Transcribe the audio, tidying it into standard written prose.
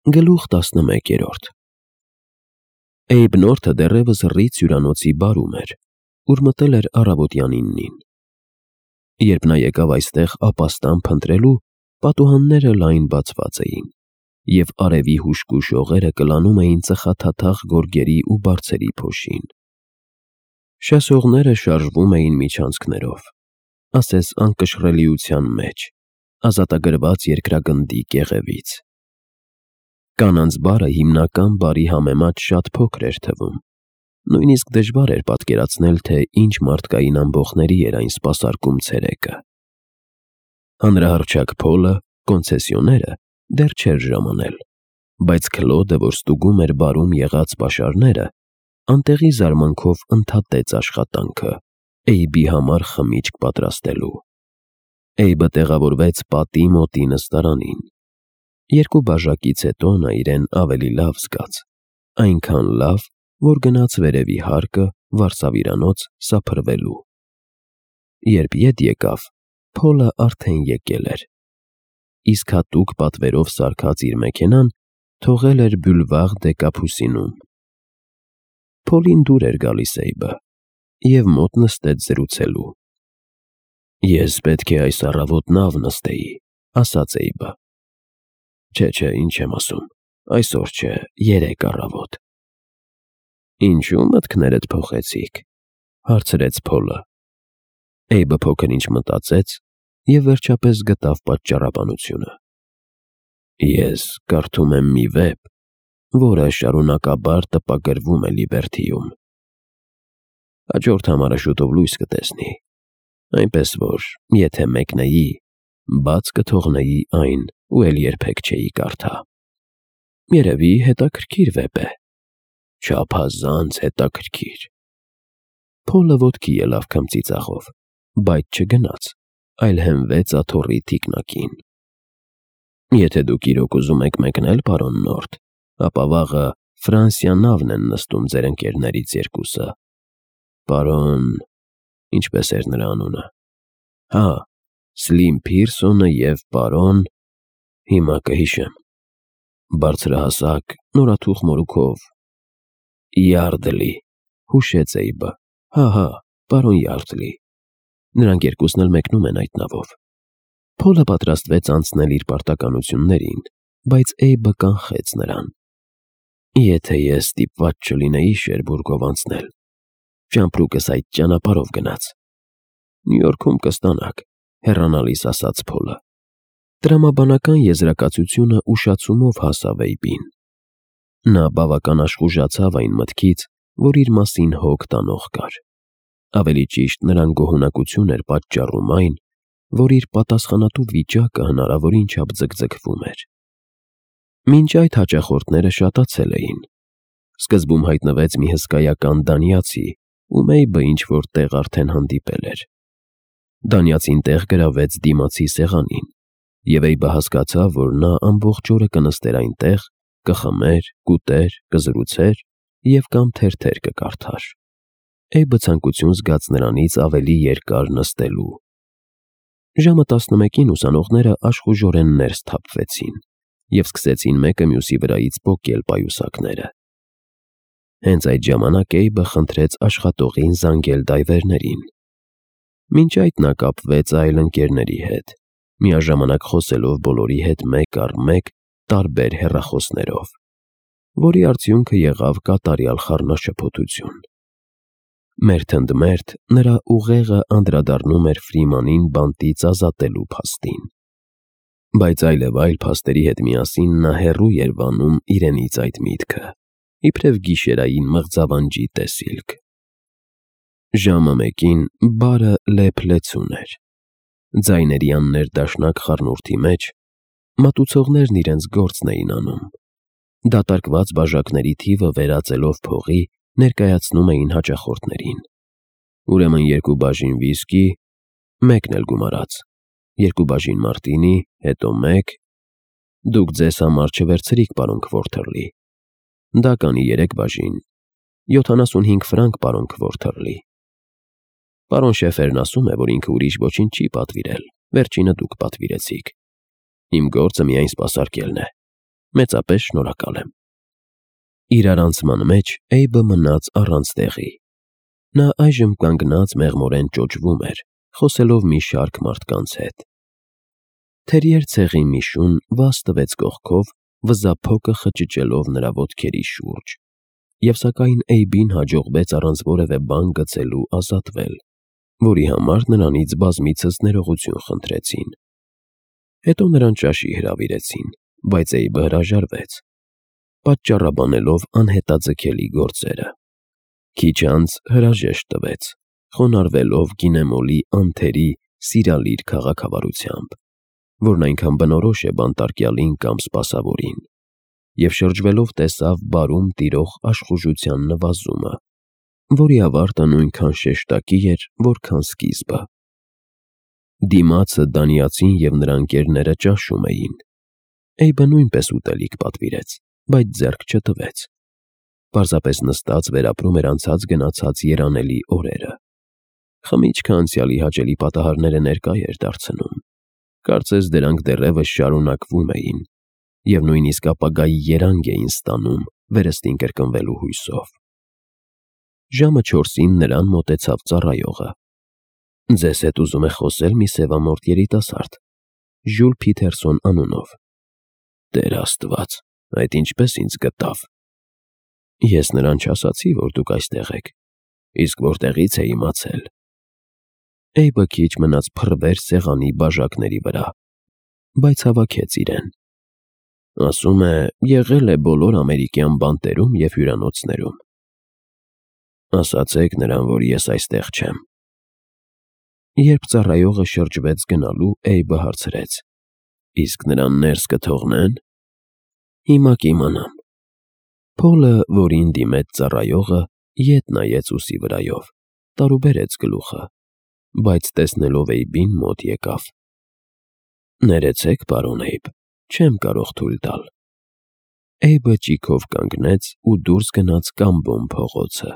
Գլուխ 11 Էյբնորդը դեռևս ռից հյուրանոցի բարում էր, ուր մտել էր առավոտյան 9-ին։ Երբ նա եկավ այստեղ ապաստան փնտրելու, պատուհանները լայն բացված էին, և արևի հուժկու շողերը կլանում էին ծխաթաթախ գորգերի ու բարձերի փոշին։ Շասողները շարժվում էին միջանցքներով, ասես անկշռելիության մեջ, ազատագրված երկրագնդի կեղևից։ Կանանց բարը հիմնական բարի համեմատ շատ փոքր էր թվում, նույնիսկ դժվար էր պատկերացնել, թե ինչ մարդկային ամբոխների էր այն սպասարկում ցերեկը։ Հանրահռչակ Փոլը, կոնցեսիոները, դեռ չէր ժամանել, բայց Քլոդը, որ ստուգում էր բարում եղած պաշարները, անտեղի զարմանքով ընդհատեց աշխատանքը Էյբի համար խմիչք պատրաստելու։ Էյբը տեղավորվեց պատի մոտի նստարանին։ 2 բաժակից հետո նա իրեն ավելի լավ զգաց, այնքան լավ, որ գնաց վերևի հարկը վարսավիրանոց սափրվելու։ Երբ ետ եկավ, Փոլը արդեն եկել էր, իսկ հատուկ պատվերով սարքած իր մեքենան թողել էր Բյուլվար դե Կապուսինում։ Փոլին դուր էր գալիս Էյբը, և մոտ նստեց զրուցելու։ «Ես պետք է այս առավոտ նավ նստեի», ասաց Էյբը։ Չէ, ինչ եմ ասում, այսօր չէ, երեկ առավոտ։ Ինչու մտքներդ փոխեցիք, հարցրեց Փոլը։ Էյբը փոքր-ինչ մտածեց և վերջապես գտավ պատճառաբանությունը։ Ես կարդում եմ մի վեպ, որը շարունակաբար տպագրվում է Լիբերթիում։ Հաջորդ համարը շուտով լույս կտեսնի, այնպես որ, եթե մեկնեի, բաց կթողնեի այն ու էլ երբեք չէի կարդա։ Երևի հետաքրքիր վեպ է։ Չափազանց հետաքրքիր։ Փոլը ոտքի ելավ քմծիծաղով, բայց չգնաց, այլ հենվեց աթոռի թիկնակին։ Եթե դուք իրոք ուզում եք մեկնել, պարոն Նորթ, ապա վաղը Ֆրանսիա նավն են նստում ձեր ընկերներից 2-ը։ Պարոն… ինչպես էր նրա անունը։ Հա, Սլիմ Փիրսոնը և պարոն… հիմա կհիշեմ։ Բարձրահասակ, նորաթուխ մորուքով… Յարդլի, հուշեց Էյբը։ Հա, պարոն Յարդլի։ Նրանք 2-ն էլ մեկնում են այդ նավով։ Փոլը պատրաստվեց անցնել իր պարտականություններին, բայց Էյբը կանխեց նրան։ Եթե ես ստիպված չլինեի Շերբուրգով անցնել, ճամպրուկս այդ ճանապարհով գնաց։ Նյու Յորքում կստանաք, հեռանալիս ասաց Փոլը։ Տրամաբանական եզրակացությունը ուշացումով հասավ Էյբին։ Նա բավական աշխուժացավ այն մտքից, որ իր մասին հոգ տանող կար։ Ավելի ճիշտ, նրան գոհունակություն էր պատճառում այն, որ իր պատասխանատու վիճակը հնարավորին չափ ձգձգվում էր։ Մինչ այդ հաճախորդները շատացել էին։ Սկզբում հայտնվեց մի հսկայական դանիացի, ում Էյբը ինչ-որ տեղ արդեն հանդիպել էր։ Դանիացին տեղ գրավեց դիմացի սեղանին, և Էյբը հասկացավ, որ նա ամբողջ օրը կնստեր այնտեղ, կխմեր, կուտեր, կզրուցեր և կամ թերթեր կկարդար։ Էյբը ցանկություն զգաց նրանից ավելի երկար նստելու։ Ժամը 11-ին ուսանողները աշխուժորեն ներս թափվեցին և սկսեցին մեկը մյուսի վրայից պոկել պայուսակները։ Հենց այդ ժամանակ Էյբը խնդրեց աշխատողին զանգել դայվերներին։ Մինչ այդ նա կապվեց այլ ընկերների հետ, միաժամանակ խոսելով բոլորի հետ մեկ առ մեկ տարբեր հեռախոսներով, որի արդյունքը եղավ կատարյալ խառնաշփոթություն։ Մերթ ընդ մերթ նրա ուղեղը անդրադառնում էր Ֆրիմանին բանտից ազատելու փաստին։ Բայց այլևայլ փաստերի հետ միասին նա հեռու էր վանում իրենից այդ միտքը, իբրև գիշերային մղձավանջի տեսիլք։ Ժամը 1-ին բարը լեփ-լեցուն էր։ Ձայների աններդաշնակ խառնուրդի մեջ մատուցողներն իրենց գործն էին անում։ Դատարկված բաժակների թիվը վերածելով փողի ներկայացնում էին հաճախորդներին։ Ուրեմն 2 բաժին վիսկի, 1-ն էլ գումարած, 2 բաժին մարտինի, հետո 1… Դուք ձեզ համար չվերցրիք, պարոն Քվորթերլի։ Դա կանի 3 բաժին, 75 ֆրանկ, պարոն Քվորթերլի։ Պարոն Շեֆերն ասում է, որ ինքը ուրիշ ոչինչ չի պատվիրել, վերջինը դուք պատվիրեցիք։ Իմ գործը միայն սպասարկելն է։ Մեծապես շնորհակալ եմ։ Իր առանցման մեջ Էյբը մնաց առանց տեղի։ Նա այժմ կանգնած մեղմորեն ճոճվում էր, խոսելով մի շարք մարդկանց հետ։ Թերիեր ցեղի մի շուն վազ տվեց կողքով, վզափոկը խճճելով նրա ոտքերի շուրջ, և սակայն Էյբին հաջողվեց առանց որևէ բան գցելու ազատվել, որի համար նրանից բազմիցս ներողություն խնդրեցին։ Հետո նրան ճաշի հրավիրեցին, բայց Էյբը հրաժարվեց, պատճառաբանելով անհետաձգելի գործերը։ Քիչ անց հրաժեշտ տվեց, խոնարհվելով գինեմոլի անթերի սիրալիր քաղաքավարությամբ, որն այնքան բնորոշ է բանտարկյալին կամ սպասավորին, և շրջվելով տեսավ բարում տիրող աշխուժության նվազումը, որի ավարտը նույնքան շեշտակի էր, որքան սկիզբը։ Դիմացը դանիացին և նրա ընկերները ճաշում էին։ Էյբը նույնպես ուտելիք պատվիրեց, բայց ձեռք չտվեց։ Պարզապես նստած վերապրում էր անցած-գնացած երանելի օրերը։ Խմիչքը անցյալի հաճելի պատահարները ներկա էր դարձնում։ Կարծես դրանք դեռևս շարունակվում էին և նույնիսկ ապագայի երանգ էին ստանում վերստին կրկնվելու հույսով։ Ժամը 4-ին նրան մոտեցավ ծառայողը։ «Ձեզ հետ ուզում է խոսել մի սևամորթ երիտասարդ, Ժյուլ Փիթերսոն անունով»։ «Տեր Աստված, այդ ինչպես ինձ գտավ»։ «Ես նրան չասացի, որ դուք այստեղ եք, իսկ որտեղից է իմացել»։ Էյբը քիչ մնաց փռվեր սեղանի բաժակների վրա, բայց հավաքեց իրեն։ «Ասում է, եղել է բոլոր ամերիկյան բանտերում և հյուրանոցներում»։ «Ասացեք նրան, որ ես այստեղ չեմ»։ Երբ ծառայողը շրջվեց գնալու, Էյբը հարցրեց. «Իսկ նրան ներս կթողնե՞ն»։ «Հիմա կիմանամ»։ Փոլը, որին դիմեց ծառայողը, ետ նայեց ուսի վրայով, տարուբերեց գլուխը, բայց տեսնելով Էյբին մոտ եկավ։ «Ներեցեք, պարոն Էյբ, չեմ կարող թույլ տալ»։ Էյբը ճիգով կանգնեց ու դուրս գնաց Կամբոն փողոցը։